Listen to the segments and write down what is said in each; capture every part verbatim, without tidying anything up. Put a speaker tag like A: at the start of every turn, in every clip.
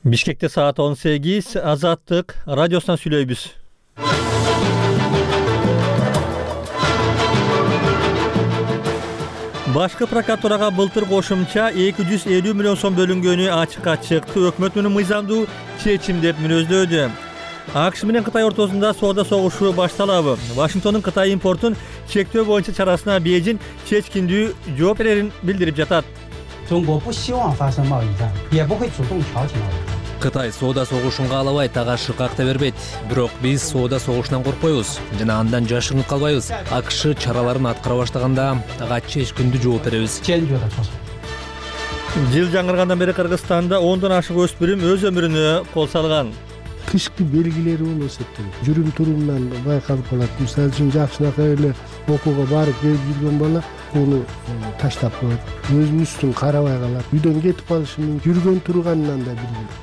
A: Бишкекте саат он сегиз, Азаттык радиосунан сүйлөйбүз. Башкы прокуратурага былтыр кошумча эки жүз элүү миллион сом бөлүнгөнү ачыкка чыкты. Өкмөт муну мыйзамдуу чечим деп мүнөздөөдү. АКШ менен Кытай ортосунда соода согушу башталабы? Вашингтондун Кытай импортун чектөө боюнча чарасына Бейжиң чечкиндүү жооп берерин билдирип жатат.
B: Кытай соода согушун каалабайт, ага шыкакта бербейт. Бирок биз соода согушунан коркпойбуз жана андан жашырынып калбайбыз. АКШ чараларын аткара баштаганда ага чечкиндүү жооп беребиз.
A: Жыл жаңыргандан бери Кыргызстанда ондон ашык өспүрүм өз өмүрүнө кол салган.
C: Кышкы белгилери болсо жүрүм турумунан байкалып калат. Мисалы үчүн жакшынакай эле окууга барып келип жүргөн бала уну таштап коет. Өзүнүн үстүн карабай калат. Үйдөн кетип калышы мүмкүн. Жүргөн турганынан да билбейт.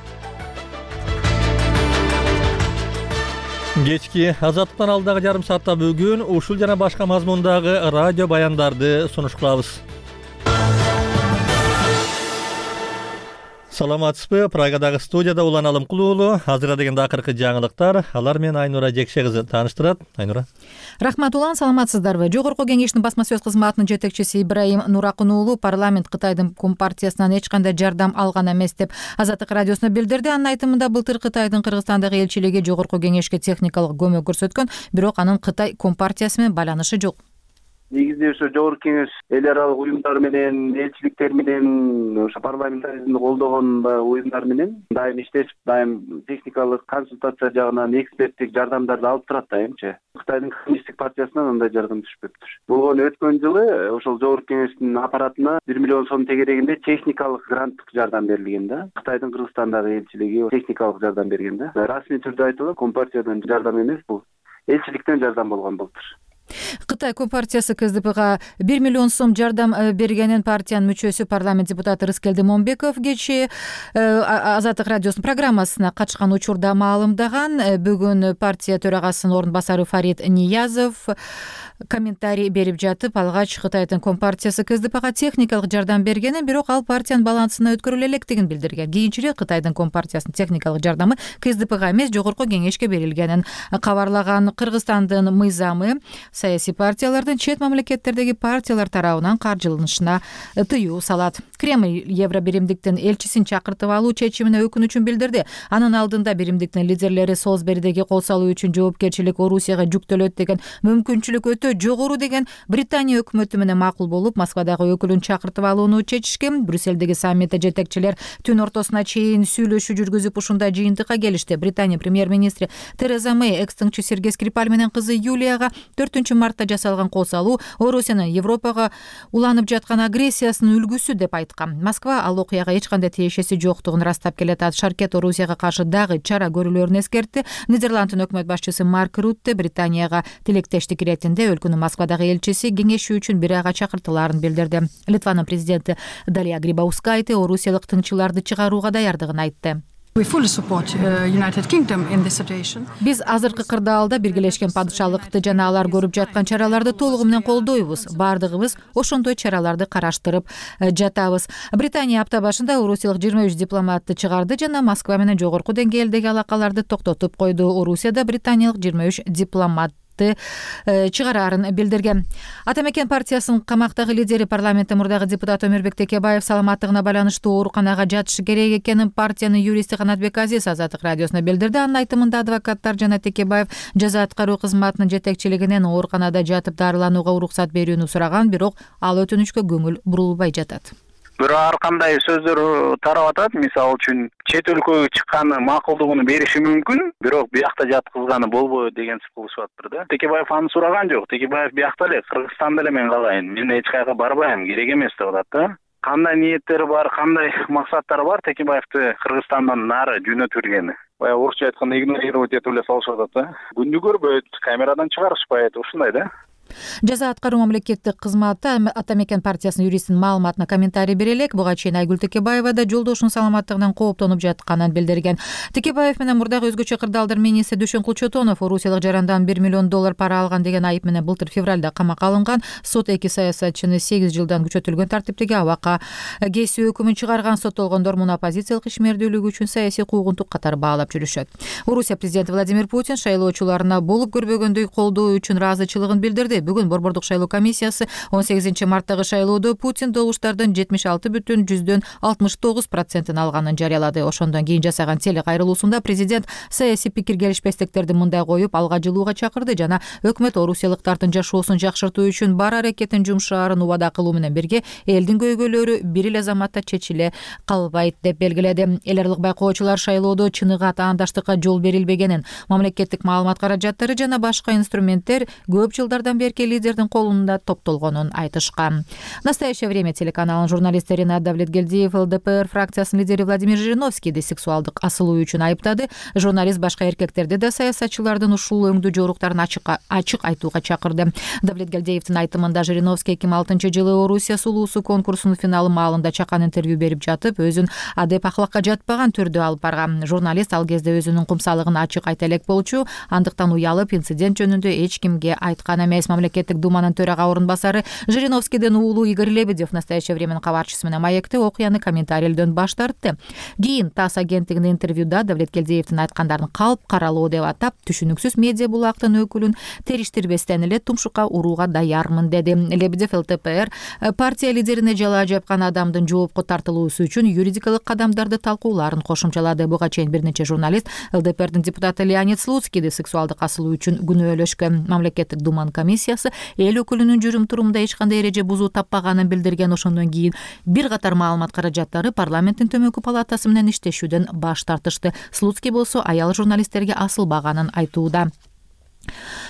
A: Кечки Азаттыктан алдагы жарым саатта бүгүн ушул жана башка мазмундагы радио баяндарды сунуш кылабыз. Саламатсызбы? Прагадагы студияда Улан Алымкулуу уулу. Азыр дегенде акыркы жаңылыктар. Алар менен Айнура Жекше кызы тааныштырат. Айнура.
D: Рахмат Улан, саламатсыздарбы? Жогорку кеңештин басма сөз кызматынын жетекчиси Ибраим Нуракун уулу парламент Кытайдын компартиясынан эч кандай жардам алган эмес деп Азаттык радиосуна билдирди. Анын айтымында былтыр Кытайдын Кыргызстандагы элчилиги жогорку кеңешке техникалык көмөк көрсөткөн, бирок анын Кытай компартиясы менен байланышы жок.
E: Негизинде ошо жогорку кеңеш эл аралык уюмдар менен, элчиликтер менен, ошо парламентаризмди колдогон уюмдар менен дайым иштешип, дайым техникалык консультация жагынан эксперттик жардамдарды алып турат дайымчы. Кытайдын коммунисттик партиясынан андай жардам түшпөптүр. Болгону өткөн жылы ошол жогорку кеңештин аппаратына бир миллион сом тегерегинде техникалык гранттык жардам берилген да. Кытайдын Кыргызстандагы элчилиги техникалык жардам берген да. Расмий түрдө айтылат, компартиядан жардам эмес, бул элчиликтен жардам болгон былтыр.
D: Кытай компартиясы КСДПга бир миллион сом жардам бергенин партиянын мүчөсү парламент депутаты Рыскелди Момбеков кечээ Азаттык радиосунун программасына катышкан учурда маалымдаган. Бүгүн партия төрагасынын орун басары Фарид Ниязов комментарий берип жатып, алгач Кытайдын компартиясы КСДПга техникалык жардам бергенин, бирок ал партиянын балансына өткөрүлө электигин билдирген. Кийинчерээк Кытайдын компартиясынын техникалык жардамы КСДПга эмес, жогорку кеңешке берилгенин кабарлаган. Кыргызстандын мыйзамы саясий партиялардын чет мамлекеттердеги партиялар тарабынан каржыланышына тыюу салат. Кремль Евробиримдиктин элчисин чакыртып алуу чечимине өкүнүчүн билдирди. Анын алдында биримдиктин лидерлери Солсберидеги кол салуу үчүн жоопкерчилик Орусияга жүктөлөт деген мүмкүнчүлүк өтө жогору деген Британия өкмөтү менен макул болуп, Москвадагы өкүлүн чакыртып алууну чечишкен. Брюссельдеги саммитте жетекчилер түн ортосуна чейин сүйлөшүү жүргүзүп ушундай жыйынтыкка келишти. Британия премьер-министри Тереза Мэй экс-тыңчы Сергей Скрипаль менен кызы Юлияга төртүнчү мартта жасалган кол салуу Орусиянын Европага уланып жаткан агрессиясынын үлгүсү деп айткан. Москва ал окуяга эч кандай тиешеси жоктугун растап келет. Шаркет Орусияга каршы дагы чара көрүлөрүн эскертти. Нидерландтын өкмөт башчысы Марк Рутте Британияга тилектештик иретинде өлкөнүн Москвадагы элчиси кеңешүү үчүн бир айга чакыртылаарын билдирди. Литванын президенти Далия Грибаускайте орусиялык тыңчыларды чыгарууга даярдыгын айтты. Биз азыркы кырдаалда биргелешкен падышалыкты жана алар көрүп жаткан чараларды толугу менен колдойбуз. Бардыгыбыз ошондой чараларды караштырып жатабыз. Британия апта башында орусиялык жыйырма үч дипломатты чыгарды жана Москва менен жогорку деңгээлдеги алакаларды токтотуп койду. Орусияда британиялык жыйырма үч дипломат чыгараарын билдирген. Атамекен партиясынын камактагы лидери, парламенттин мурдагы депутаты Өмүрбек Текебаев саламаттыгына байланыштуу ооруканага жатышы керек экенин партиянын юристи Канатбек Азиз Азаттык радиосуна билдирди. Анын айтымында адвокаттар жана Текебаев жаза аткаруу кызматынын жетекчилигинен ооруканада жатып дарыланууга уруксат берүүнү сураган, бирок ал өтүнүчкө көңүл бурулбай жатат.
E: Бирок ар кандай сөздөр тарап атат. Мисалы үчүн чет өлкөгө чыкканы макулдугун бериши мүмкүн, бирок биякта жаткызганы болбойт деген кылышып атыптыр да. Текебаев аны сураган жок. Текебаев биякта эле, Кыргызстанда эле мен калайын, мен эч кайга барбайм, керек эмес деп атат да. Кандай ниеттери бар, кандай максаттары бар Текебаевди Кыргызстандан нары жөнөтүлгени. Бая орусча айтканда игнорировать этип эле салышып атат да. Күндү көрбөйт, камерадан чыгарышпайт, ушундай да.
D: Жаза аткаруу мамлекеттик кызматы Ата мекен партиясынын юристинин маалыматына комментарий бере элек. Буга чейин Айгүл Текебаева да жолдошунун саламаттыгынан кооптонуп жатканын билдирген. Текебаев менен мурдагы өзгөчө кырдаалдар министри Дүйшөн Кулчотонов орусиялык жарандан бир миллион доллар пара алган деген айып менен былтыр февралда камакка алынган. Сот эки саясатчыны сегиз жылдан күчөтүлгөн тартиптеги абакка кесүү өкүмүн чыгарган. Соттолгондор муну оппозициялык ишмердүүлүгү үчүн саясий куугунтук катары баалап жүрүшөт. Орусия президенти Владимир Путин шайлоочуларына болуп көрбөгөндөй колдоо үчүн ыраазычылыгын билдирди. Бүгүн Борбордук шайлоо комиссиясы он сегизинчи марттагы шайлоодо Путин добуштардын жетимиш алты бүтүн жүздөн алтымыш тогуз процентин алганын жарыялады. Ошондон кийин жасаган теле кайрылуусунда президент саясий пикир келишпестиктерди мындай коюп алга жылууга чакырды жана өкмөт орусиялыктардын жашоосун жакшыртуу үчүн бар аракетин жумшаарын убада кылуу менен бирге элдин көйгөйлөрү бир эле заматта чечиле калбайт деп белгиледи. Эл аралык байкоочулар шайлоодо чыныгы таандаштыкка жол берилбегенин, мамлекеттик маалымат каражаттары жана башка инструменттер көп жылдардан берки лидердин колунда топтолгонун айтышкан. Настоящее время телеканалынын журналисти Ренат Давлетгелдиев ЛДПР фракциясынын лидери Владимир Жириновскийди сексуалдык асылуу үчүн айыптады. Журналист башка эркектерди да саясатчылардын ушул өңдүү жоруктарын ачык ачык айтууга чакырды. Давлетгелдиевдин айтымында Жириновский эки миң алтынчы жылы Орусия сулуусу конкурсунун финалы маалында чакан интервью берип жатып, өзүн адеп ахлакка жатпаган түрдө алып барган. Журналист ал кезде өзүнүн кумсалыгын ачык айта элек болчу, андыктан уялып инцидент жөнүндө эч кимге айткан эмес. Мамлекеттик думанын төрага орун басары Жириновскийдин уулу Игорь Лебедев настоящее временин кабарчысы менен маекте окуяны комментарийлөөдөн баш тартты. Кийин ТАСС агенттигинин интервьюда Давлеткелдиевдин айткандарын калп каралоо деп атап, түшүнүксүз медиа булактын өкүлүн териштирбестен эле тумшукка урууга даярмын деди. Лебедев ЛДПР партия лидерине жалаа жапкан адамдын жоопко тартылуусу үчүн юридикалык кадамдарды талкууларын кошумчалады. Буга чейин бир нече журналист ЛДПРдин депутаты Леонид Слуцкийди сексуалдык асылуу үчүн күнөөлөшкөн. Мамлекеттик думанын комиссиясы эл өкүлүнүн жүрүм турумунда эч кандай эреже бузуу таппаганын билдирген. Ошондон кийин бир катар маалымат каражаттары парламенттин төмөнкү палатасы менен иштешүүдөн баш тартышты. Слуцкий болсо аял журналисттерге асылбаганын айтууда.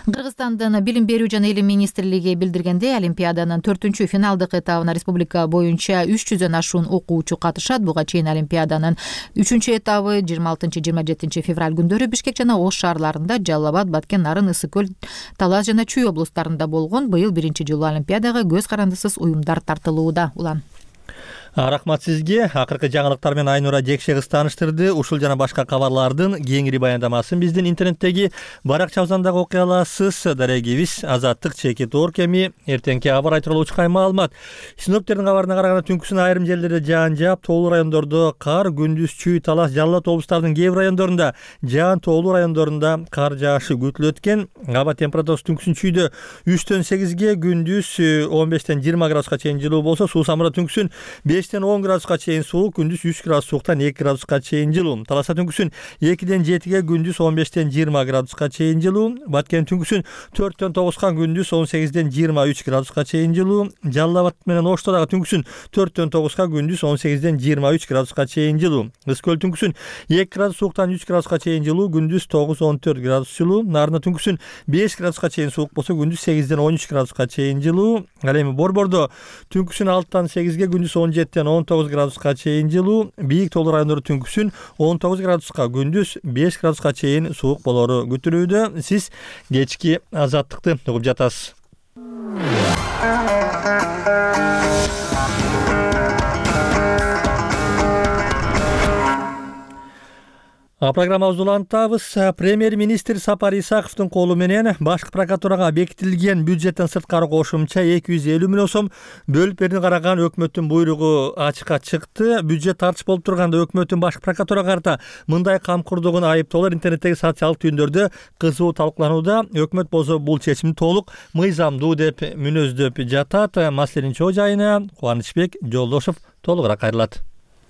D: Кыргызстандын билим берүү жана илим министрлиги билдиргендей, Олимпиаданын төртүнчү финалдык этабына республика боюнча үч жүздөн ашуун окуучу катышат. Буга чейин Олимпиаданын үчүнчү этабы жыйырма алтынчы жыйырма жетинчи февраль күндөрү Бишкек жана Ош шаарларында, Жалал Абад, Баткен, Нарын, Ысык көл, Талас жана Чүй облустарында болгон. Быйыл биринчи жолу Олимпиадага көз карандысыз уюмдар тартылууда. Улан
A: Рахмат сизге. Акыркы жаңылыктар менен Айнура Жекше кыз тааныштырды. Ушул жана башка кабарлардын кеңири баяндамасын биздин интернеттеги баракчабыздан дагы окуй аласыз. Дарегибиз Азаттык чеки тоор кеми эртеңки аба айтылуучу кай маалымат. Синоптиктердин кабарына караганда түнкүсүн айрым жерлерде жаан жаап, тоолуу райондордо кар, күндүз Чүй, Талас, Жалал Абад облустарынын кээ бир райондорунда жаан, тоолуу райондорунда кар жаашы күтүлөт экен. Аба температурасы түнкүсүн Чүйдө үчтөн сегизге, күндүз он бештен жыйырма градуска чейин жылуу болсо, Суу Самырда түнкүсүн бештен он градуска чейин суук, күндүз үч градус сууктан эки градуска чейин жылуу. Таласта түнкүсүн экиден жетиге, күндүз он бештен жыйырма градуска чейин жылуу. Баткен түнкүсүн төрттөн тогузга, күндүз он сегизден жыйырма үч градуска чейин жылуу. Жалал Абад менен Ошто дагы түнкүсүн төрттөн тогузга, күндүз он сегизден жыйырма үч градуска чейин жылуу. Ысык көл түнкүсүн эки градус сууктан үч градуска чейин жылуу, күндүз тогуз он төрт градус жылуу. Нарында түнкүсүн беш градуска чейин суук болсо, күндүз сегизден он үч градуска чейин жылуу. Ал эми Борбордо түнкүсүн алтыдан сегизге, күндүз он жетиден он тогуз градуска чейин жылуу. Бийик тоолуу райондордо түнкүсүн он тогуз градуска, күндүз беш градуска чейин суук болору күтүлүүдө. Сиз кечки Азаттыкты угуп жатасыз. Программабызды улантабыз. Премьер-министр Сапар Исаковдун колу менен башкы прокуратурага бекитилген бюджеттен сырткары кошумча эки жүз элүү миллион сом бөлүп берүүнү караган өкмөттүн буйругу ачыкка чыкты. Бюджет тартыш болуп турганда өкмөттүн башкы прокуратурага карата мындай камкордугун айыптоолор интернеттеги социалдык түйүндөрдө кызуу талкууланууда. Өкмөт болсо бул чечимди толук мыйзамдуу деп мүнөздөп жатат. Маселенин чоо жайына Кубанычбек Жолдошов толугураак кайрылат.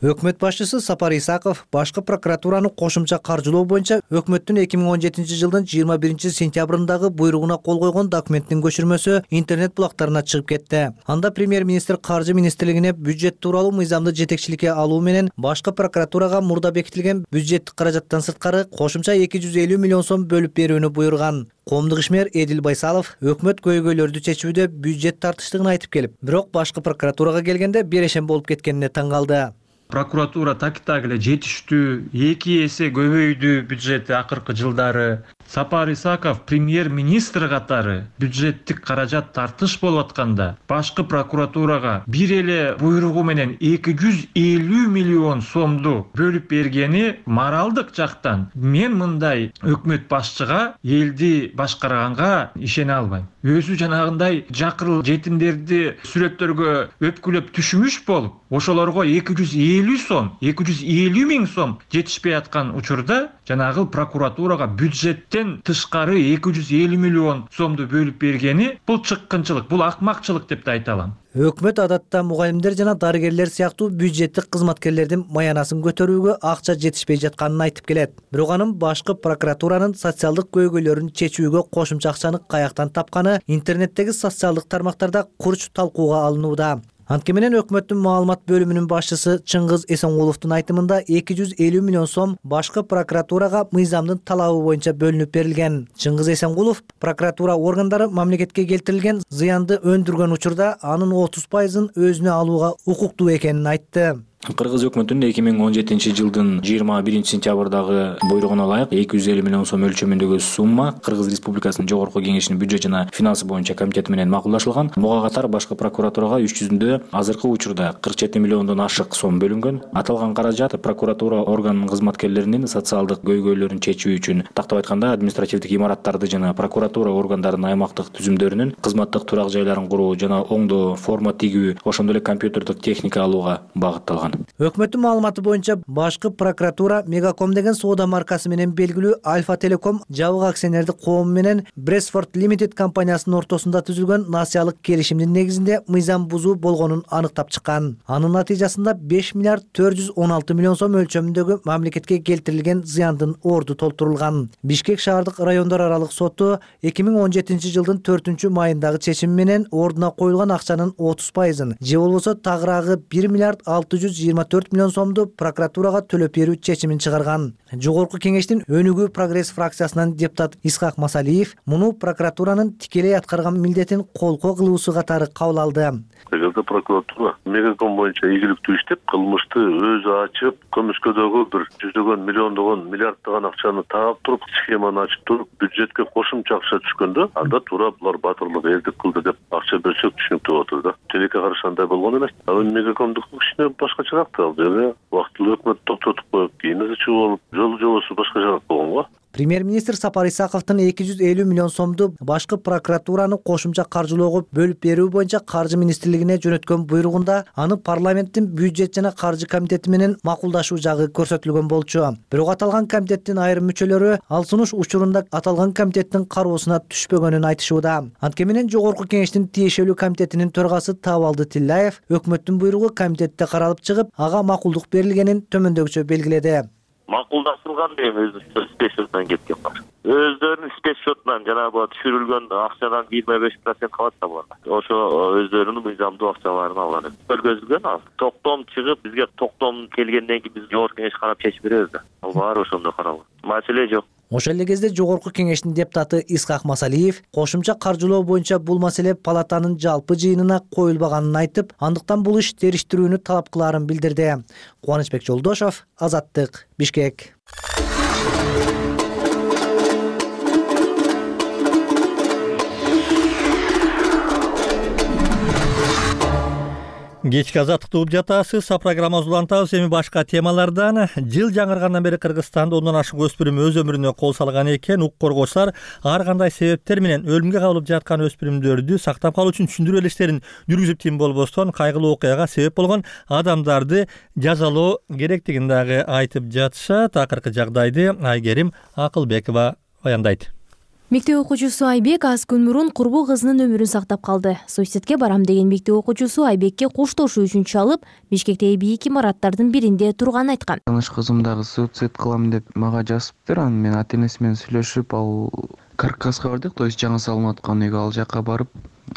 F: Өкмөт башчысы Сапар Исаков башкы прокуратураны кошумча каржылоо боюнча өкмөттүн эки миң он жетинчи жылдын жыйырма биринчи сентябрындагы буйругуна кол койгон документтин көчүрмөсү интернет булактарына чыгып кетти. Анда премьер-министр каржы министрлигине бюджет тууралуу мыйзамды жетекчиликке алуу менен башкы прокуратурага мурда бекитилген бюджеттик каражаттан сырткары кошумча эки жүз элүү миллион сом бөлүп берүүнү буйруган. Коомдук ишмер Эдил Байсалов өкмөт көйгөйлөрдү чечүүдө бюджет тартыштыгын айтып келип, бирок башкы прокуратурага келгенде берешем болуп кеткенине таң калды.
G: Прокуратура так-так эле жетиштүү, эки эсе көбөйдү бюджети акыркы жылдары. Сапар Исаков премьер-министр катары бюджеттик каражат тартыш болуп атканда башкы прокуратурага бир эле буйругу менен эки жүз элүү миллион сомду бөлүп бергени моралдык жактан мен мындай өкмөт башчыга, элди башкарганга ишене албайм. Өзү жанагындай жакыр жетимдерди сүрөттөргө өпкүлөп түшүмүш болуп, ошолорго эки жүз элүү сом, эки жүз элүү миң сом жетишпей аткан учурда жанагы прокуратурага бюджеттен тышкары эки жүз элүү миллион сомду бөлүп бергени бул чыккынчылык, бул акмакчылык деп да айта алам.
F: Өкмөт адатта мугалимдер жана дарыгерлер сыяктуу бюджеттик кызматкерлердин маянасын көтөрүүгө акча жетишпей жатканын айтып келет. Бирок анын башкы прокуратуранын социалдык көйгөйлөрүн чечүүгө кошумча акчаны каяктан тапканы интернеттеги социалдык тармактарда курч талкууга алынууда. Антке менен өкмөттүн маалымат бөлүмүнүн башчысы Чыңгыз Эсенгуловдун айтымында эки жүз элүү миллион сом башкы прокуратурага мыйзамдын талабы боюнча бөлүнүп берилген. Чыңгыз Эсенгулов прокуратура органдары мамлекетке келтирилген зыянды өндүргөн учурда анын отуз пайызын өзүнө алууга укуктуу экенин айтты.
H: Кыргыз өкмөтүнүн эки миң он жетинчи жылдын жыйырма биринчи сентябрдагы буйругуна ылайык эки жүз элүү миллион сом өлчөмүндөгү сумма Кыргыз Республикасынын Жогорку Кеңешинин бюджет жана финансы боюнча комитети менен макулдашылган. Буга катар башкы прокуратурага иш жүзүндө азыркы учурда кырк жети миллиондон ашык сом бөлүнгөн. Аталган каражат прокуратура органынын кызматкерлеринин социалдык көйгөйлөрүн чечүү үчүн, тактап айтканда, административдик имараттарды жана прокуратура органдарынын аймактык түзүмдөрүнүн кызматтык турак жайларын куруу жана оңдоо, форма тигүү, ошондой эле компьютердик техника алууга багытталган.
F: Өкмөттүн маалыматы боюнча башкы прокуратура Мегаком деген соода маркасы менен белгилүү Альфа Телеком жабык акционердик коому менен Брэсфорд Limited компаниясынын ортосунда түзүлгөн насыялык келишимдин негизинде мыйзам бузуу болгонун аныктап чыккан. Анын натыйжасында беш миллиард төрт жүз он алты миллион сом өлчөмүндөгү мамлекетке келтирилген зыяндын орду толтурулган. Бишкек шаардык райондор аралык соту эки миң он жетинчи жылдын төртүнчү майындагы чечими менен ордуна коюлган акчанын отуз пайызын же болбосо тагыраагы бир миллиард алты жүз жыйырма төрт миллион сомду прокуратурага төлөп берүү чечимин чыгарган. Жогорку Кеңештин Өнүгүү прогресс фракциясынан депутат Исхак Масалиев муну прокуратуранын тикелей аткарган милдетин колко кылуусу катары кабыл алды.
I: Эгерде прокуратура Мегаком боюнча ийгиликтүү иштеп, кылмышты өзү ачып, көмүскөдөгү бир жүздөгөн, миллиондогон, миллиарддаган акчаны таап туруп, схеманы ачып туруп, бюджетке кошумча акча түшкөндө, анда туура булар батырлык элдик кылды деп акча берсек түшүнүктүү болот эле да. Телекке каршы андай болгон эмес. Ал Мегакомдук кишине башкачараак да. Ал жерде убактылуу өкмөт токтотуп коюп, кийин эле чыгып алып, жолу жобосу башкачараак болгон го.
F: Премьер-министр Сапар Исаковдун эки жүз элүү миллион сомду башкы прокуратураны кошумча каржылоого бөлүп берүү боюнча Каржы министрлигине жөнөткөн буйругунда аны парламенттин бюджет жана каржы комитети менен макулдашуу жагы көрсөтүлгөн болчу. Бирок аталган комитеттин айрым мүчөлөрү ал сунуш учурунда аталган комитеттин кароосуна түшпөгөнүн айтышууда. Антке менен Жогорку Кеңештин тиешелүү комитетинин төрагасы Табалды Тилляев өкмөттүн буйругу комитетте каралып чыгып, ага макулдук берилгенин төмөндөгүчө белгиледи.
J: Макулдашылган деген өзү спецсчетунан кеткен бар. Өздөрүнүн спецсчетунан жанагы түшүрүлгөн акчадан жыйырма беш процент калат да буларга. Ошо өздөрүнүн мыйзамдуу акчаларын алган. Көргөзүлгөн ал. Токтом чыгып, бизге токтом келгенден кийин биз Жогорку Кеңеш карап чечип беребиз да. Ал баары ошондой каралган. Маселе жок.
F: Ошол эле кезде Жогорку Кеңештин депутаты Исхак Масалиев кошумча каржылоо боюнча бул маселе палатанын жалпы жыйынына коюлбаганын айтып, андыктан бул иш териштирүүнү талап кылаарын билдирди. Кубанычбек Жолдошов, Азаттык, Бишкек.
A: Кечки азаттыкты угуп жатасыз. Программабызды улантабыз. Эми башка темалардан. Жыл жаңыргандан бери Кыргызстанда ондон ашык өспүрүм өз өмүрүнө кол салган экен. Укук коргоочулар ар кандай себептер менен өлүмгө кабылып жаткан өспүрүмдөрдү сактап калуу үчүн түшүндүрүү илиштерин жүргүзүп тим болбостон кайгылуу окуяга себеп болгон адамдарды жазалоо керектигин дагы айтып жатышат. Акыркы жагдайды Айгерим Акылбекова баяндайт.
K: Мектеп окуучусу Айбек аз күн мурун курбу кызынын өмүрүн сактап калды. Суицидке барам деген мектеп окуучусу Айбекке куштошуу үчүн чалып, Бишкектеги бийик имараттардын биринде турганын айткан.
L: Таныш кызым дагы суицид кылам деп мага жазыптыр. Анан мен ата энеси менен сүйлөшүп, ал каркаска бардык, то есть жаңы салынып аткан үйгө, ал жака барып,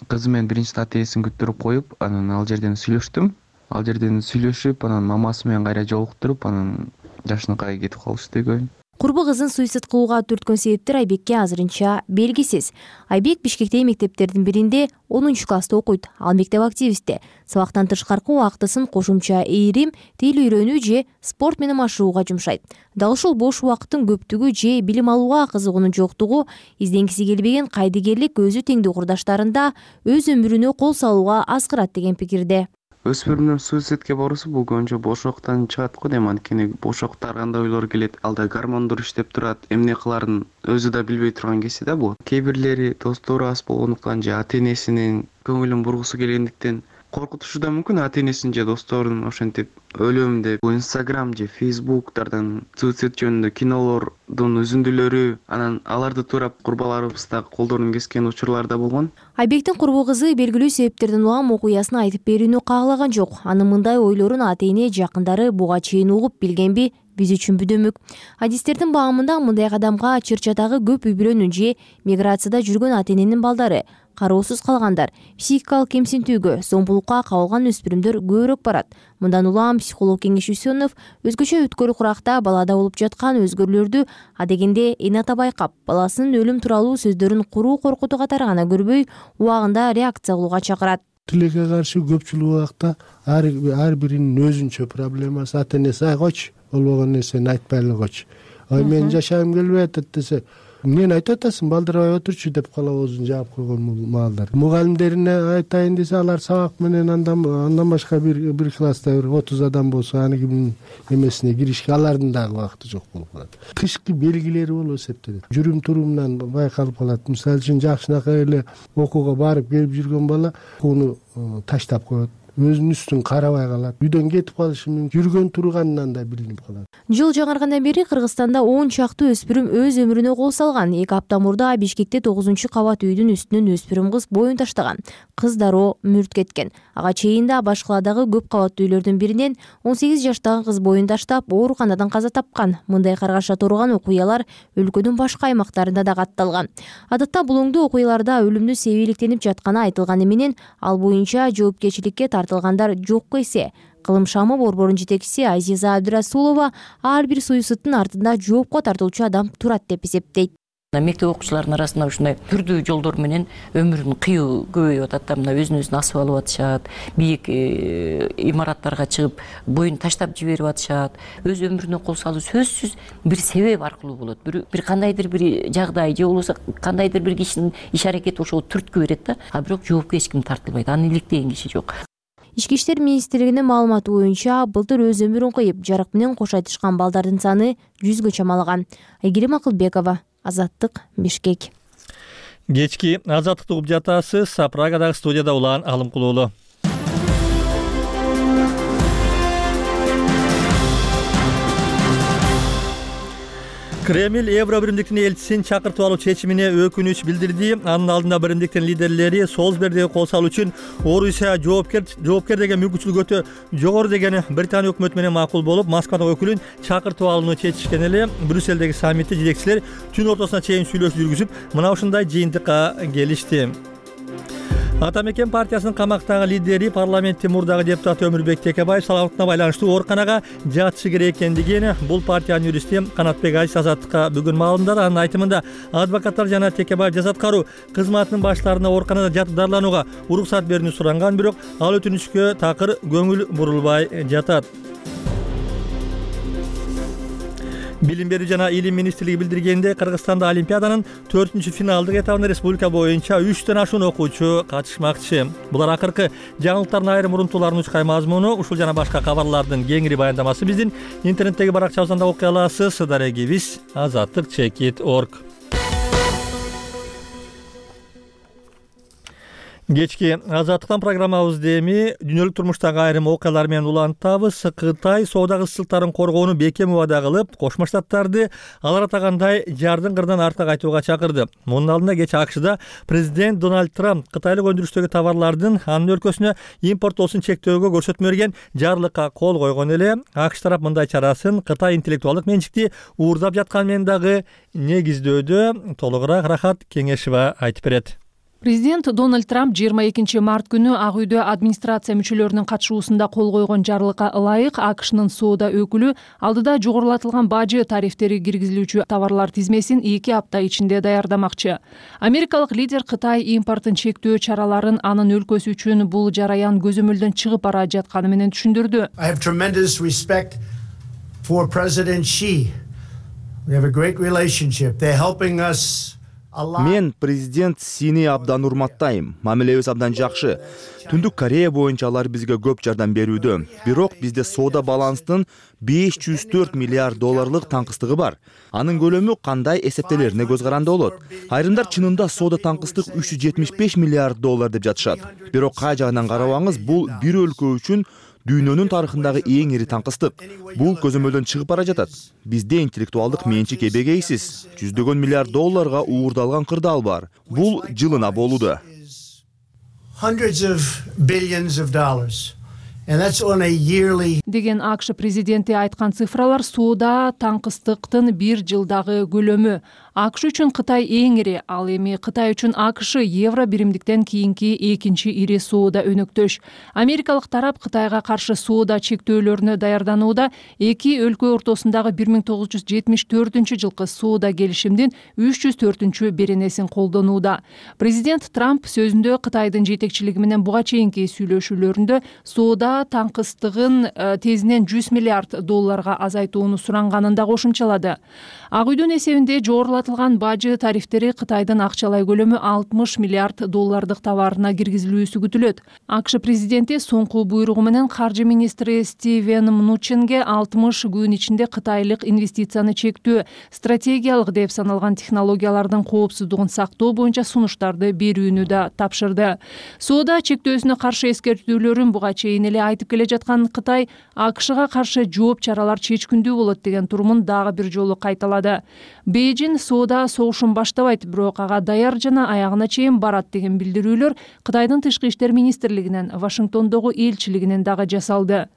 L: кызым менен биринчи ата энесин күттүрүп коюп, анан ал жерден сүйлөштүм. Ал жерден сүйлөшүп, анан мамасы менен кайра жолуктуруп, анан жакшынакай кетип калышты үйгө.
K: курбу кызын суицид кылууга түрткөн себептер Айбекке азырынча белгисиз. Айбек Бишкектеги мектептердин биринде онунчу класста окуйт. Ал мектеп активисти. Сабактан тышкаркы убактысын кошумча ийрим, тил үйрөнүү же спорт менен машыгууга жумшайт. Дал ушул бош убакыттын көптүгү же билим алууга кызыгуунун жоктугу, изденгиси келбеген кайдыгерлик өзү теңдүү курдаштарында өз өмүрүнө кол салууга аскырат деген пикирде.
L: Өспүрүмдөр суицидке баруусу бул көбүнчө бош убакыттан чыгат го дейм. Анткени бош убакытта ар кандай ойлор келет, алда гормондор иштеп турат, эмне кыларын өзү да билбей турган кезде да бул. Кээ бирлери достору аз болгондуктан же ата энесинин көңүлүн бургусу келгендиктен коркутушу да мүмкүн. Ата энесин же досторун ошентип өлөм деп бул Instagram же Facebooktардан суицид жөнүндө кинолордун үзүндүлөрү, анан аларды туурап курбаларыбыз да колдорун кескен учурлар да болгон.
K: Айбектин курбу кызы белгилүү себептерден улам окуясын айтып берүүнү каалаган жок. Анын мындай ойлорун ата эне жакындары буга чейин угуп билгенби, биз үчүн бүдөмүк. Адистердин баамында мындай кадамга чыр-чатагы көп үй бүлөнүн же миграцияда жүргөн ата эненин балдары, кароосуз калгандар, психикалык кемсинтүүгө, зомбулукка кабылган өспүрүмдөр көбүрөөк барат. Мындан улам психолог Кеңеш Үсөнов өзгөчө өткөл куракта балада болуп жаткан өзгөрүүлөрдү адегенде эне ата байкап, баласынын өлүм тууралуу сөздөрүн куруу коркутуу катары гана көрбөй, убагында реакция кылууга чакырат.
C: Тилекке каршы көпчүлүк убакта ар ар биринин өзүнчө проблемасы. Ата энеси ай койчу, болбогон нерсени айтпай эле койчу. Ой мен жашагым келбей атат десе, мен айтып атасың, балдырбай отурчу деп кала оозун жаап койгон маалдар. Мугалимдерине айтайын десе, алар сабак менен андан андан башка бир бир класста бир отуз адам болсо, аны кимдин эмесине киришке алардын дагы убакыты жок болуп калат. Тышкы белгилери болуп эсептелет. Жүрүм турумунан байкалып калат. Мисалы үчүн жакшынакай эле окууга барып келип жүргөн бала окууну таштап коет. Өзүнүн үстүн карабай калат. Үйдөн кетип калышы мүмкүн. Жүргөн турганынан да билинип калат.
K: Жыл жаңыргандан бери Кыргызстанда он чакты өспүрүм өз өмүрүнө кол салган. эки апта мурда Бишкекте тогузунчу кабат үйдүн үстүнөн өспүрүм кыз боюн таштаган. Кыз дароо мүрт кеткен. Ага чейин да башкаладагы көп кабаттуу үйлөрдүн биринен он сегиз жаштагы кыз боюн таштап, ооруканадан каза тапкан. Мындай каргаша турган окуялар өлкөнүн башка аймактарында да катталган. Адатта булуңдуу окуяларда өлүмдү себептелип жатканы айтылганы менен, ал боюнча жоопкерчиликке тартылгандар жокко эсе. Кылым Шамы борборунун жетекчиси Азиза Абдырасулова ар бир суицидтин артында жоопко тартылчу адам турат деп эсептейт.
M: Мектеп окуучуларынын арасында ушундай түрдүү жолдор менен өмүрүн кыюу көбөйүп атат да, мына өзүн өзүн асып алып атышат, бийик имараттарга чыгып боюн таштап жиберип атышат. Өз өмүрүнө кол салуу сөзсүз бир себеп аркылуу болот. Бир бир кандайдыр бир жагдай же болбосо кандайдыр бир кишинин иш аракети ошого түрткү берет да, а бирок жоопко эч ким тартылбайт. Аны иликтеген киши жок.
K: Ички иштер министрлигинин маалыматы боюнча, былтыр өз өмүрүн кыйып, жарык менен кош айтышкан балдардын саны жүзгө чамалаган. Айгерим Акылбекова, Азаттык, Бишкек.
A: Кечки Азаттыкты угуп жатасыз. Прагадагы студияда улан Алымкулуулу. Кремль Евро биримдиктин элчисин чакыртып алуу чечимине өкүнүч билдирди. Анын алдында биримдиктин лидерлери Солсбергдеги кол салуу үчүн Орусия жоопкер жоопкер деген мүмкүнчүлүк өтө жогору деген Британия өкмөтү менен макул болуп, Москвадагы өкүлүн чакыртып алууну чечишкен эле. Брюссельдеги саммитте жетекчилер түн ортосуна чейин сүйлөшүү жүргүзүп, мына ушундай жыйынтыкка келишти. Ата Мекен партиясынын камактагы лидери, парламенттин мурдагы депутаты Өмүрбек Текебаев саламаттына байланыштуу ооруканага жатышы керек экендигин бул партиянын юристи Канатбек Азиз Азаттыкка бүгүн маалымдады. Анын айтымында, адвокаттар жана Текебаев жас аткаруу кызматынын баштарына ооруканада жатып дарыланууга уруксат берүүнү суранган, бирок ал өтүнүчкө такыр көңүл бурулбай жатат. Билим берүү жана илим министрлиги билдиргенде, Кыргызстанда Олимпиаданын төртүнчү финалдык этабына республика боюнча үчтөн ашуун окуучу катышмакчы. Булар акыркы жаңылыктардын айрым урунтууларын учкай мазмуну, ушул жана башка кабарлардын кеңири баяндамасы биздин интернеттеги баракчабыздан да окуй аласыз. Дарегибиз азаттык чекит точка орг. Кечки Азаттыктан программабызды эми дүйнөлүк турмуштагы айрым окуялар менен улантабыз. Кытай соода кызчылыктарын коргоону бекем убада кылып, Кошмо Штаттарды алар атагандай жардын кырынан артка кайтууга чакырды. Мунун алдында кечээ АКШда президент Дональд Трамп кытайлык өндүрүштөгү товарлардын анын өлкөсүнө импорттоосун чектөөгө көрсөтмө берген жарлыкка кол койгон эле. АКШ тарап мындай чарасын Кытай интеллектуалдык менчикти уурдап жатканы менен дагы негиздөөдө. Толугураак Рахат Кеңешова айтып берет.
N: Президент Дональд Трамп жыйырма экинчи март күнү Ак үйдө администрация мүчөлөрүнүн катышуусунда кол койгон жарлыкка ылайык АКШнын соода өкүлү алдыда жогорулатылган бажы тарифтери киргизилүүчү товарлар тизмесин эки апта ичинде даярдамакчы. Америкалык лидер Кытай импортун чектөө чараларын анын өлкөсү үчүн бул жараян көзөмөлдөн чыгып бара жатканы менен түшүндүрдү.
O: I have tremendous respect for President Xi. We have a great relationship. They're helping us.
P: Мен президент Сини абдан урматтайм. Мамилебиз абдан жакшы. Түндүк Корея боюнча алар бизге көп жардам берүүдө. Бирок бизде соода баланстын беш жүз төрт миллиард долларлык таңкыстыгы бар. Анын көлөмү кандай эсептелерине көз каранды болот. Айрымдар чынында соода таңкыстык үч жүз жетимиш беш миллиард доллар деп жатышат. Бирок кай жагынан карабаңыз, бул бир өлкө үчүн дүйнөнүн тарыхындагы эң ири таңкыстык. Бул көзөмөлдөн чыгып бара жатат. Бизде интеллектуалдык менчик эбегейсиз. Жүздөгөн миллиард долларга уурдалган кырдаал бар. Бул жылына болууда.
O: Hundreds of billions of dollars. And that's on a yearly.
N: Деген АКШ президенти айткан цифралар соода таңкыстыктын бир жылдагы көлөмү. АКШ үчүн Кытай эң ири, ал эми Кытай үчүн АКШ евро биримдиктен кийинки экинчи ири соода өнөктөш. Америкалык тарап Кытайга каршы соода чектөөлөрүнө даярданууда эки өлкө ортосундагы бир миң тогуз жүз жетимиш төртүнчү жылкы соода келишимдин үч жүз төртүнчү беренесин колдонууда. Президент Трамп сөзүндө Кытайдын жетекчилиги менен буга чейинки сүйлөшүүлөрүндө соода таңкыстыгын тезинен жүз миллиард долларга азайтууну суранганын да кошумчалады. Ак үйдүн эсебинде жогорулатылган бажы тарифтери Кытайдын акчалай көлөмү алтымыш миллиард доллардык товарына киргизилүүсү күтүлөт. АКШ президенти соңку буйругу менен каржы министри Стивен Мнучинге алтымыш күн ичинде кытайлык инвестицияны чектөө, стратегиялык деп саналган технологиялардын коопсуздугун сактоо боюнча сунуштарды берүүнү да тапшырды. Соода чектөөсүнө каршы эскертүүлөрүн буга чейин эле айтып келе жаткан Кытай АКШга каршы жооп чаралар чечкиндүү болот деген турумун дагы бир жолу кайталады. Бейжин соода согушун баштабайт, бирок ага даяр жана аягына чейин барат деген билдирүүлөр Кытайдын тышкы иштер министрлигинен, Вашингтондогу элчилигинен дагы жасалды.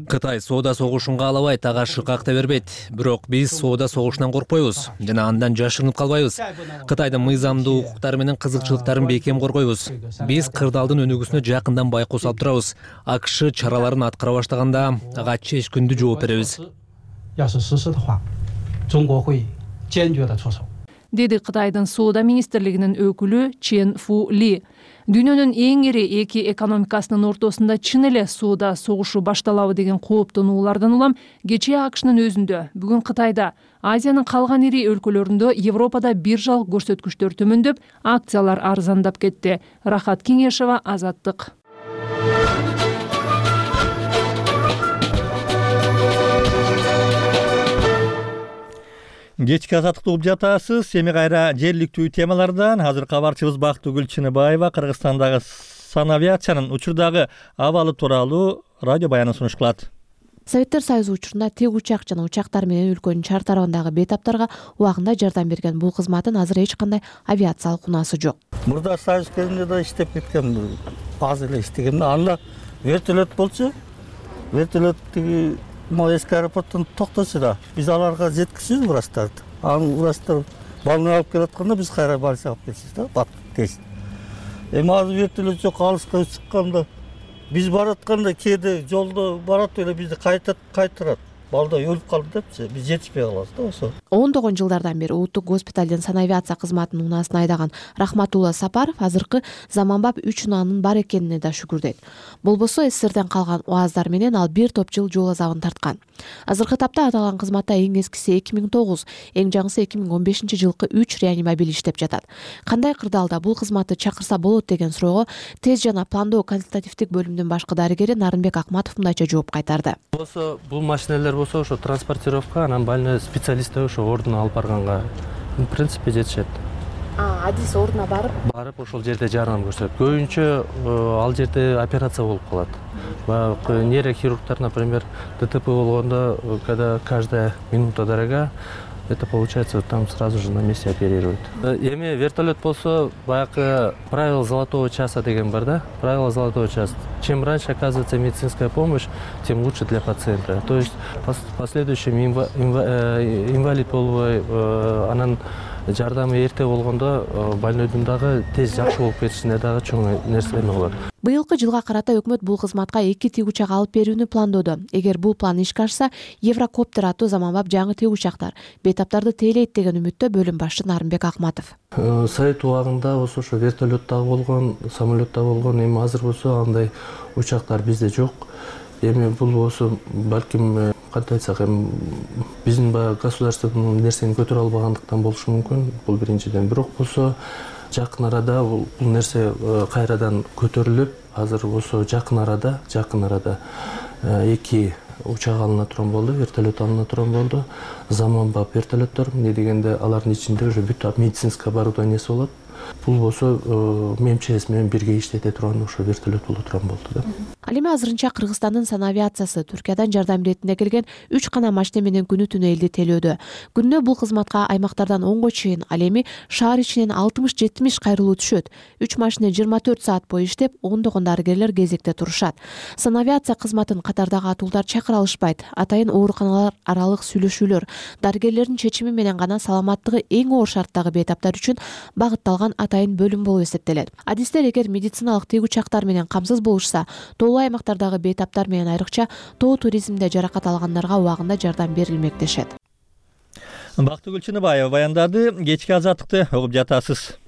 B: Кытай соода согушун каалабайт, ага шыкакта бербейт. Бирок биз соода согушунан коркпойбуз жана андан жашырынып калбайбыз. Кытайдын мыйзамдуу укуктары менен кызыкчылыктарын бекем коргойбуз. Биз кырдаалдын өнүгүүсүнө жакындан байкоос алып турабыз. АКШ чараларын аткара баштаганда ага чечкиндүү жооп беребиз.
N: Деди Кытайдын соода министрлигинин өкүлү Чен Фу Ли. Дүйнөнүн эң ири эки экономикасынын ортосунда чын эле соода согушу башталабы деген кооптонуулардан улам кечээ АКШнын өзүндө, бүгүн Кытайда, Азиянын калган ири өлкөлөрүндө, Европада биржалык көрсөткүчтөр төмөндөп, акциялар арзандап кетти. Рахат Кеңешова, Азаттык.
A: Кечки азаттыкты угуп жатасыз. Эми кайра жергиликтүү темалардан азыр кабарчыбыз Бактыгүл Чыныбаева Кыргызстандагы санавиациянын учурдагы абалы тууралуу радио баянын сунуш кылат.
Q: Советтер Союзу учурунда тик учак жана учактар менен өлкөнүн чар тарабындагы бейтаптарга убагында жардам берген бул кызматтын азыр эч кандай авиациялык унаасы жок.
R: Мурда Союз кезинде да иштеп кеткен, аз эле иштеген. Анда вертолет болчу, вертолет тиги могу эски аэропорттон токточу да. Биз аларга жеткизбиз врачтарды. Анын врачтар балны алып келатканда биз кайра больницага алып келсиз да, бат тез. Эми азыр вертолет жок, алыска чыкканда биз баратканда кээде жолдо барат эле бизди кайтат, кайтырат. Балда өлүп калды депчи, биз жетишпей калабыз да ошо.
Q: ондогон жылдардан бери улуттук госпиталдын санавиация кызматынын унаасын айдаган Рахматулла Сапаров азыркы заманбап үч унаанын бар экенине да шүгүр дейт. Болбосо СССРден калган уаздар менен ал бир топ жыл жол азабын тарткан. Азыркы тапта аталган кызматта эң эскиси эки миң тогуз, эң жаңысы эки миң он бешинчи жылкы үч реанимобиль иштеп жатат. Кандай кырдаалда бул кызматты чакырса болот деген суроого тез жана пландоо консультативдик бөлүмдүн башкы дарыгери Нарынбек Акматов мындайча жооп кайтарды.
S: Болсо бул машиналар болсо ошо транспортировка, анан больной специалисттер ошо ордуна алып барганга в принципе жетишет.
Q: А, адис ордуна барып?
S: Барып ошол жерде жардам көрсөтөт. Көбүнчө ал жерде операция болуп калат. Нейрохирургтар, например, ДТП болгондо, когда каждая минута дорога, это получается там сразу же на месте оперируют. Эми вертолет болсо баягы правило золотого часа деген бар да. Правило золотого часа. Чем раньше оказывается медицинская помощь, тем лучше для пациента. То есть в последующем инва, инва, э, инвалид болбой, э, анан жардамы эрте болгондо больнойдун дагы тез жакшы болуп кетишине дагы чоң нерсе болот.
Q: Быйылкы жылга карата өкмөт бул кызматка эки тигучак алып берүүнү пландоодо. Эгер бул план ишке ашса, Еврокоптер аттуу заманбап жаңы тигучактар бейтаптарды тейлейт деген үмүттө бөлүм башчы Нарымбек Акматов.
S: Совет убагында болсо ошо вертолеттагы болгон, самолетта болгон, эми азыр болсо андай учактар бизде жок. Эми бул болсо балким кантип айтсак, эми биздин баягы государственный нерсени көтөрө албагандыктан болушу мүмкүн. Бул биринчиден. Бирок болсо жакын арада бул нерсе кайрадан көтөрүлүп, азыр болсо жакын арада, жакын арада эки учак алына турган болду, вертолет алына турган болду. Заманбап вертолеттор, эмне дегенде алардын ичинде уже бүт медицинское оборудованиеси болот. Бул болсо МЧС менен бирге иштете турган ошо вертолет боло турган болду да.
Q: Ал эми азырынча Кыргызстандын санавиациясы Түркиядан жардам иретине келген үч гана машина менен күнү түнү элди тейлөөдө. Күнүнө бул кызматка аймактардан онго чейин, ал эми шаар ичинен алтымыш жетимиш кайрылуу түшөт. үч машина жыйырма төрт саат бою иштеп, ондогон дарыгерлер кезекте турушат. Санавиация кызматын катардагы атуулдар чакыра алышпайт. Атайын ооруканалар аралык сүйлөшүүлөр дарыгерлердин чечими менен гана саламаттыгы эң оор шарттагы бейтаптар үчүн багытталган атайын бөлүм болуп эсептелет. Адистер эгер медициналык тигучактар менен камсыз болушса, тоолуу аймактардагы бейтаптар менен айрыкча тоо туризмде жаракат алгандарга убагында жардам берилмек дешет.
A: Бактыгүл Чыныбаева баяндады. Кечки азаттыкты угуп жатасыз.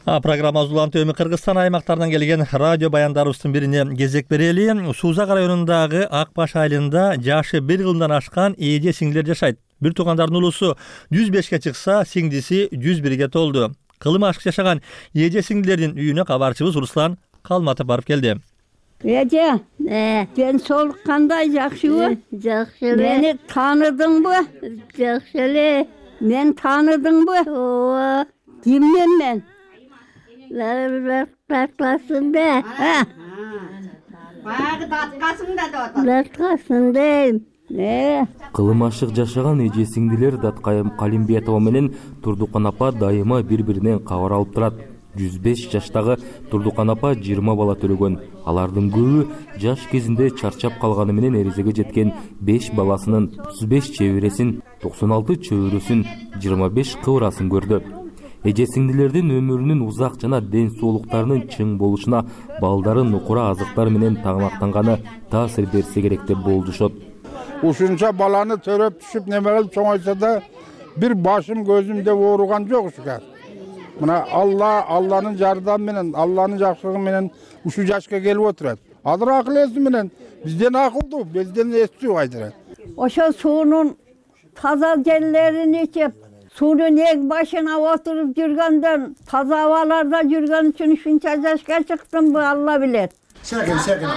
A: А программа улантуу эми Кыргызстан аймактарынан келген радио баяндарыбыздын бирине кезек берели. Суузак районундагы Ак Баш айылында жашы бир жылдан ашкан эже сиңдилер жашайт. Бир туугандардын улусу жүз бешке чыкса, сиңдиси жүз бирге толду. Кылым ашык жашаган эже сиңдилердин үйүнө кабарчыбыз Руслан Калматов барып келди.
T: Эже, мен солук кандай, жакшыбы? Жакшы эле. Мени тааныдыңбы? Жакшы эле. Мен тааныдыңбы? Ооба. Киммен мен? Даткасында. Баягы даткасында да отот. Даткасында.
U: Кылым ашык жашаган эже сиңдилер Даткайым Калимбетова менен Турдукан апа дайыма бири-биринен кабар алып турат. жүз беш жаштагы Турдукан апа жыйырма бала төрөгөн. Алардын көбү жаш кезинде чарчап калганы менен эрезеге жеткен беш баласынын отуз беш чебересин, токсон алты чөбөрөсүн, жыйырма беш кыбырасын көрдү. Эже сиңдилердин өмүрүнүн узак жана ден соолуктарынын чың болушуна балдарын нукура азыктар менен тагынактанганы таасир берсе керек деп болжошот.
V: Ушунча баланы төрөп түшүп неме кылып чоңойсо да бир башым көзүм деп ооруган жок ушуга. Мына Алла, Алланын жардамы менен, Алланын жакшылыгы менен ушу жашка келип отурат. Азыр акыл эси менен бизден акылдуу, бизден эстүү кайдырат.
T: Ошо суунун таза жерлерин ичип, суунун эң башына отуруп жүргөндөн, таза абаларда жүргөн үчүн ушунча жашка чыктымбы, Алла билет.
V: Секин, секин.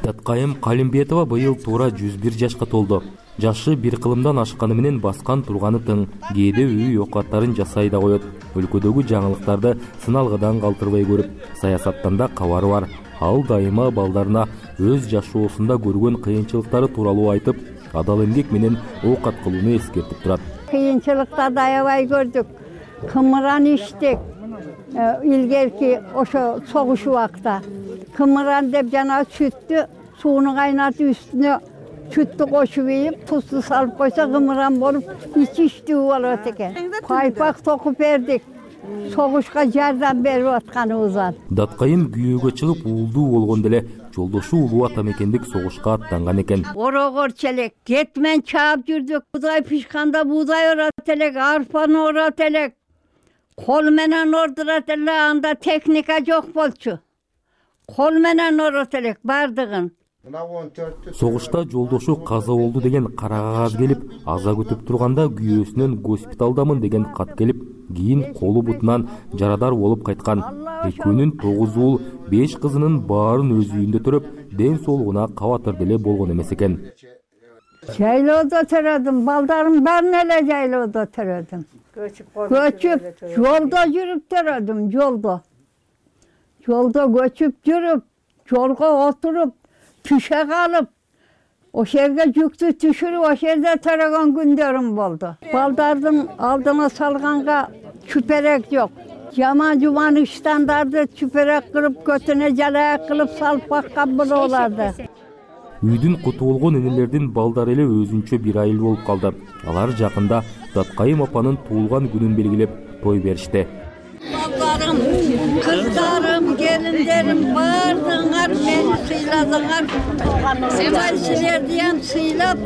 U: Даткайым Калимбетова быйыл туура жүз бир жашка толду. Жашы бир кылымдан ашканы менен баскан турганы тың. Кээде үй окаттарын жасай да коет. Өлкөдөгү жаңылыктарды сыналгыдан калтырбай көрүп, саясаттан да кабары бар. Ал дайыма балдарына өз жашоосунда көргөн кыйынчылыктары тууралуу айтып, адал эмгек менен оокат кылууну эскертип турат.
T: Кыйынчылыктарды аябай көрдүк. Кымыран иштик. Илгерки ошо согуш убакта. Кымыран деп жана сүттү сууну кайнатып үстүнө сүттү кошуп ийип, тузду салып койсо кымыран болуп ичиштүү болот экен. Пайпак токуп бердик. Согушка жардам берип атканыбыздан.
U: Даткайым күйөөгө чыгып уулдуу болгондо эле жолдошу улуу ата мекендик согушка аттанган экен.
T: Орогорчу элек, кетмен чаап жүрдүк. Буудай пишканда буудай орот элек, арпаны орот элек. Кол менен ордурат эле, анда техника жок болчу. Кол менен орот элек бардыгын.
U: Согушта жолдошу каза болду деген кара кагаз келип, аза күтүп турганда күйөөсүнөн госпиталдамын деген кат келип, кийин колу бутунан жарадар болуп кайткан. Экөөнүн тогуз уул, беш кызынын баарын өз үйүндө төрөп, ден соолугуна кабатыр деле болгон эмес экен.
T: Жайлоодо төрөдүм, балдарым баарын эле жайлоодо төрөдүм. Көчүп, жолдо жүрүп төрөдүм, жолдо. жолдо көчүп жүрүп, жолго отуруп, түшө калып, ошол жерге жүктү түшүрүп, ошол жерде тараган күндөрүм болду. Балдардын алдына салганга чүперек жок. Жаман жуман иштандарды чүперек кылып, көтүнө жалаак кылып салып баккан бололарды.
U: Үйдүн куту болгон энелердин балдары эле өзүнчө бир айыл болуп калды. Алар жакында Даткайым апанын туулган күнүн белгилеп той беришти.
T: Балдарым, кыздарым, келиндерим, баардыгыңар мени сыйладыңар. Кудай силерди ham сыйлап,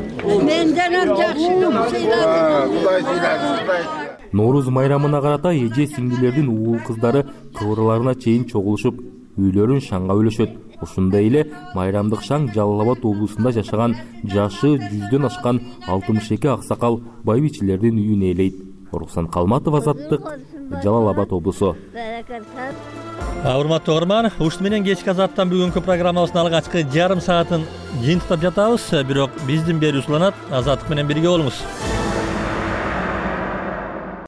T: менден ham жакшы көп сыйладыңар.
U: Нооруз майрамына карата эже сиңдилердин уул кыздары кыбырларына чейин чогулушуп, үйлөрүн шаңга бөлөшөт. Ушундай эле майрамдык шаң Жалал Абад облусунда жашаган жашы жүздөн ашкан алтымыш эки аксакал байбичелердин үйүн ээлейт. Оруксан Калматов, Азаттык, Жалал Абад облусу.
A: Урматтуу угарман, ушун менен кечки Азаттан бүгүнкү программабыздын алгачкы жарым саатын жыйынтыктап жатабыз. Бирок биздин берүү уланат. Азаттык менен бирге болуңуз.